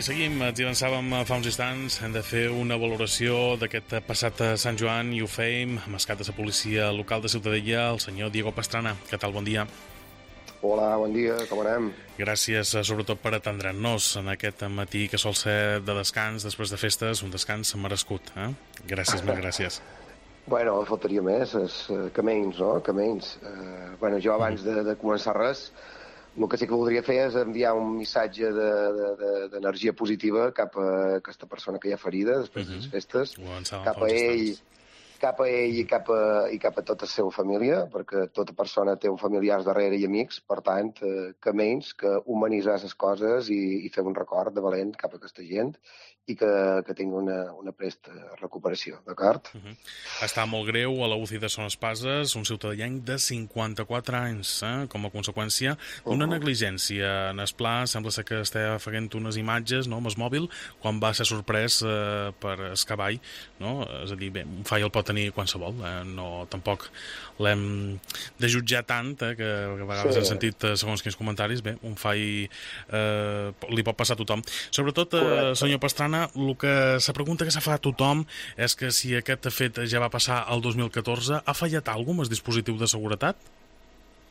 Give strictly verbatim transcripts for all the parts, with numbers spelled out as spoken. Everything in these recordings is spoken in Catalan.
I seguim, ens hi avançàvem fa uns instants, hem de fer una valoració d'aquest passat Sant Joan i ho fèiem amb el cap de la policia local de Ciutadella, el senyor Diego Pastrana. Què tal, bon dia? Hola, bon dia, com anem? Gràcies, sobretot, per atendre'ns en aquest matí que sol ser de descans, després de festes, un descans merescut. Eh? Gràcies, mil gràcies. Bueno, faltaria més, és uh, que menys, no? Que menys. Uh, bueno, jo abans de, de començar res, el que sí que voldria fer és enviar un missatge d'energia de, de, positiva cap a aquesta persona que hi ha ferida després uh -huh. de les festes, cap a ell, cap a ell i cap a, i cap a tota la seva família, perquè tota persona té un familiars darrere i amics, per tant, eh, que menys que humanitzar les coses i, i fer un record de valent cap a aquesta gent i que, que tingui una, una presta recuperació, d'acord? Uh -huh. Està molt greu a la U C I de Son Espases, un ciutadany de cinquanta-quatre anys, eh, com a conseqüència d'una uh -huh. negligència. En el pla sembla ser que estava fent unes imatges, no?, amb el mòbil, quan va ser sorprès eh, per el cavall, no? És a dir, bé, un fall el pot tenir qualsevol, eh? No, tampoc l'hem de jutjar tant, eh, que, que a vegades sí. He sentit, eh, segons quins comentaris, bé, un fall eh, li pot passar a tothom. Sobretot, eh, senyor Pastrana, el que la pregunta que s'ha fa a tothom és que si aquest fet ja va passar el dos mil catorze, ha fallat alguna cosa amb el dispositiu de seguretat?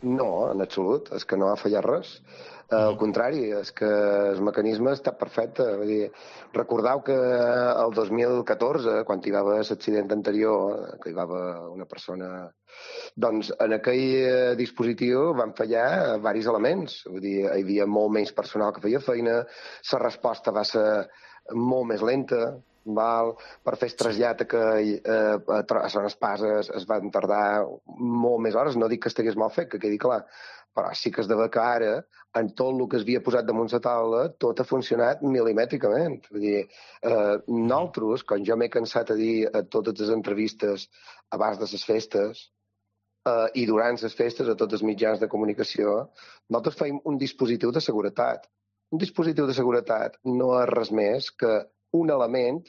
No, en absolut, és que no ha fallat res. Uh, al contrari, és que el mecanisme està perfecte. Vull dir, recordeu que el dos mil catorze, quan hi va haver l'accident anterior, que hi va haver una persona... Doncs en aquell dispositiu van fallar diversos elements. Vull dir, hi havia molt menys personal que feia feina, la resposta va ser molt més lenta, val? Per fer el trasllat que eh, a Son Espases es van tardar molt més hores. No dic que estigués mal fet, que quedi clar, però sí que es deve que ara, en tot el que es havia posat damunt la taula, tot ha funcionat milimètricament. Vull dir, eh, nosaltres, quan jo m'he cansat a dir a totes les entrevistes abans de les festes eh, i durant les festes a tots els mitjans de comunicació, nosaltres fem un dispositiu de seguretat. Un dispositiu de seguretat no és res més que un element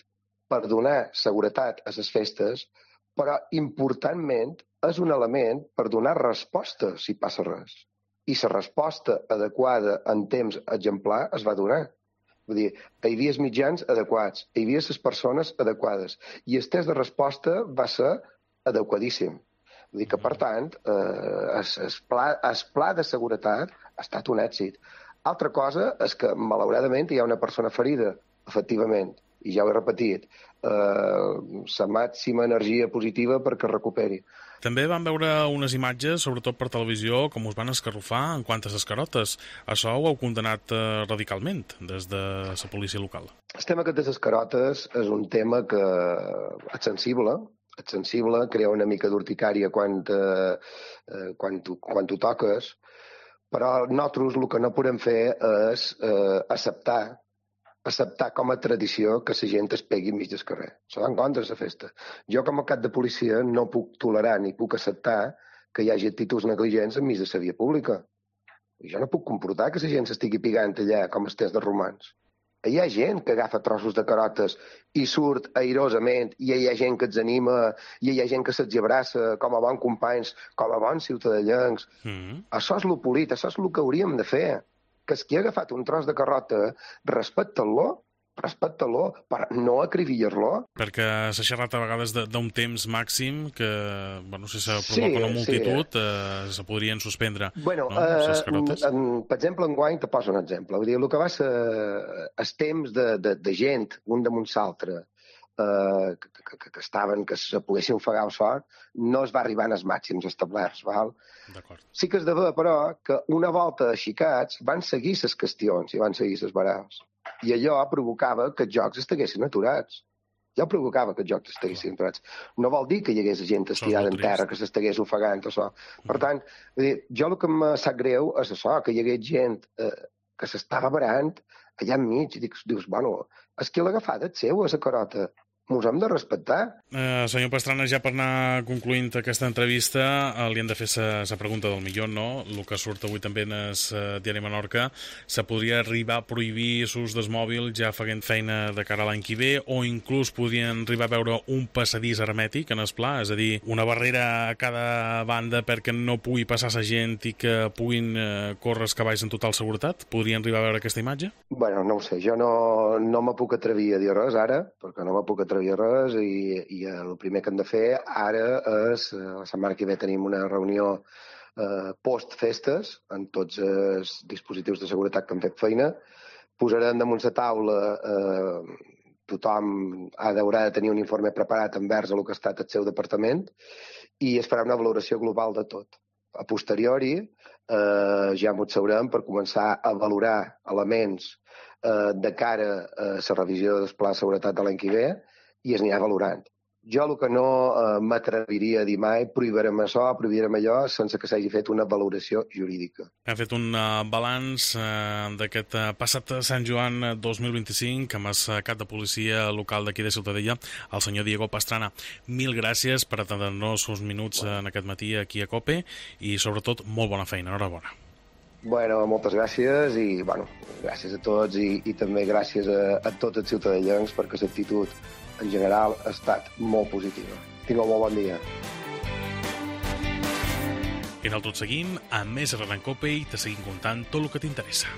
per donar seguretat a les festes, però importantment és un element per donar resposta si passa res. I la resposta adequada en temps exemplar es va donar. Vull dir, hi havia els mitjans adequats, hi havia les persones adequades, i el temps de resposta va ser adequadíssim. Vull dir que, per tant, eh, el, el, pla, el pla de seguretat ha estat un èxit. Altra cosa és que, malauradament, hi ha una persona ferida, efectivament, i ja ho he repetit, eh, la màxima energia positiva perquè es recuperi. També vam veure unes imatges, sobretot per televisió, com us van escarrufar en quant a les carotes. Això ho heu condenat eh, radicalment des de la policia local. El tema aquest de les carotes és un tema que és sensible, és sensible, crea una mica d'urticària quan, eh, quan, tu, quan tu toques, però nosaltres el que no podem fer és eh, acceptar acceptar com a tradició que la gent es pegui enmig del carrer. Això va en contra de la festa. Jo, com a cap de policia, no puc tolerar ni puc acceptar que hi hagi actituds negligents enmig de la via pública. I jo no puc comportar que la gent s'estigui pigant allà com els temps de romans. Hi ha gent que agafa trossos de carotes i surt airosament, i hi ha gent que els anima, i hi ha gent que se'ls abraça com a bons companys, com a bons ciutadellencs. Mm. Això és lo polit, això és el que hauríem de fer. Que es qui ha agafat un tros de carrota, respecta-lo, respecta-lo, per no acribillar-lo. Perquè s'ha xerrat a vegades d'un temps màxim que, bueno, si se provoca sí, una multitud, sí. eh, se podrien suspendre. Bueno, no? eh, en, per exemple, enguany, te poso un exemple. Vull dir, el que va ser el temps de, de, de gent, un damunt l'altre, eh, que, que, que estaven, que se poguessin ofegar el sort, no es va arribar als màxims establerts, val? Sí que es deve, però, que una volta aixicats van seguir les qüestions i van seguir les barals. I allò provocava que els jocs estiguessin aturats. Ja provocava que els jocs estiguessin aturats. No vol dir que hi hagués gent estirada en terra, que s'estigués ofegant, això. Per tant, dir, jo el que em sap greu és això, que hi hagués gent eh, que s'estava barant allà enmig, i dius, dius, bueno, és que l'ha agafat el seu, a la carota. mos hem de respectar. Uh, senyor Pastrana, ja per anar concluint aquesta entrevista, uh, li hem de fer la pregunta del milió, no? El que surt avui també en el uh, diari Menorca, se podria arribar a prohibir l'ús del mòbil ja fent feina de cara a l'any que ve, o inclús podien arribar a veure un passadís hermètic en el pla, és a dir, una barrera a cada banda perquè no pugui passar la gent i que puguin uh, córrer els cavalls en total seguretat? Podrien arribar a veure aquesta imatge? Bueno, no ho sé, jo no, no me puc atrevir a dir res ara, perquè no me puc atrevir a res i, i el primer que hem de fer ara és, la setmana que ve tenim una reunió eh, post-festes amb tots els dispositius de seguretat que han fet feina, posarem damunt la taula, eh, tothom ha d'haurà de tenir un informe preparat envers el que ha estat el seu departament i es farà una valoració global de tot. A posteriori eh, ja m'ho sabrem per començar a valorar elements eh, de cara a la revisió del pla de seguretat de l'any que ve i es anirà valorant. Jo el que no eh, m'atreviria a dir mai, prohibirem això, prohibirem allò, sense que s'hagi fet una valoració jurídica. Hem fet un uh, balanç uh, d'aquest uh, passat Sant Joan dos mil vint-i-cinc amb el cap de policia local d'aquí de Ciutadella, el senyor Diego Pastrana. Mil gràcies per atendre-nos uns minuts bueno. en aquest matí aquí a COPE i sobretot molt bona feina, enhorabona. Bueno, moltes gràcies i bueno, gràcies a tots i, i també gràcies a, a tots els ciutadellencs perquè l'actitud en general ha estat molt positiva. Tingueu molt bon dia. I nosaltres seguim amb més Arran Cope i te seguim contant tot el que t'interessa.